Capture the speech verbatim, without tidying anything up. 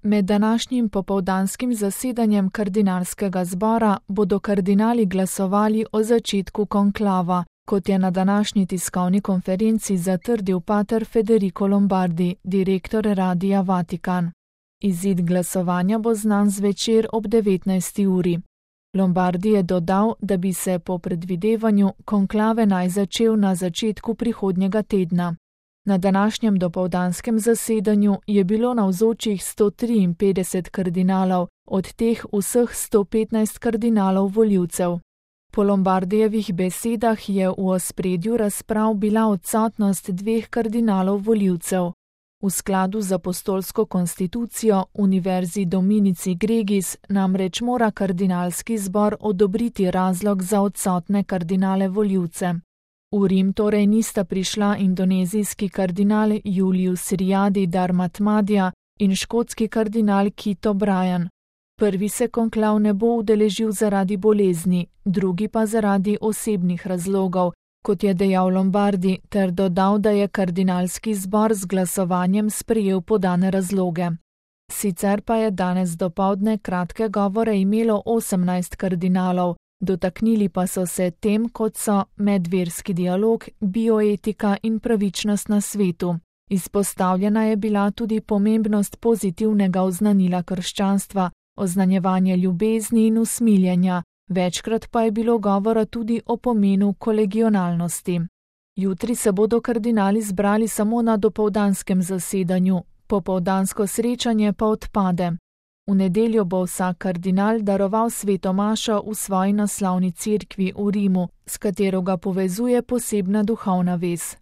Med današnjim popoldanskim zasedanjem kardinalskega zbora bodo kardinali glasovali o začetku konklava, kot je na današnji tiskovni konferenci zatrdil pater Federico Lombardi, direktor Radia Vatikan. Izid glasovanja bo znan zvečer ob devetnajsti uri. Lombardi je dodal, da bi se po predvidevanju konklave naj začel na začetku prihodnjega tedna. Na današnjem dopoldanskem zasedanju je bilo navzočih sto triinpetdeset kardinalov, od teh vseh sto petnajst kardinalov volivcev. Po Lombardijevih besedah je v ospredju razprav bila odsotnost dveh kardinalov volivcev. V skladu z apostolsko konstitucijo Univerzi Dominici Gregis namreč mora kardinalski zbor odobriti razlog za odsotne kardinale volivce. V Rim torej nista prišla indonezijski kardinal Julius Riadi Darmatmadja in škotski kardinal Kit O'Brien. Prvi se konklav ne bo udeležil zaradi bolezni, drugi pa zaradi osebnih razlogov, kot je dejal Lombardi, ter dodal, da je kardinalski zbor z glasovanjem sprejel podane razloge. Sicer pa je danes dopoldne kratke govore imelo osemnajst kardinalov, dotaknili pa so se tem, kot so medverski dialog, bioetika in pravičnost na svetu. Izpostavljena je bila tudi pomembnost pozitivnega oznanila krščanstva, oznanjevanje ljubezni in usmiljenja, večkrat pa je bilo govora tudi o pomenu kolegionalnosti. Jutri se bodo kardinali zbrali samo na dopoldanskem zasedanju, popoldansko srečanje pa odpade. V nedeljo bo vsak kardinal daroval sveto mašo v svoji naslavni cerkvi v Rimu, s katero ga povezuje posebna duhovna vez.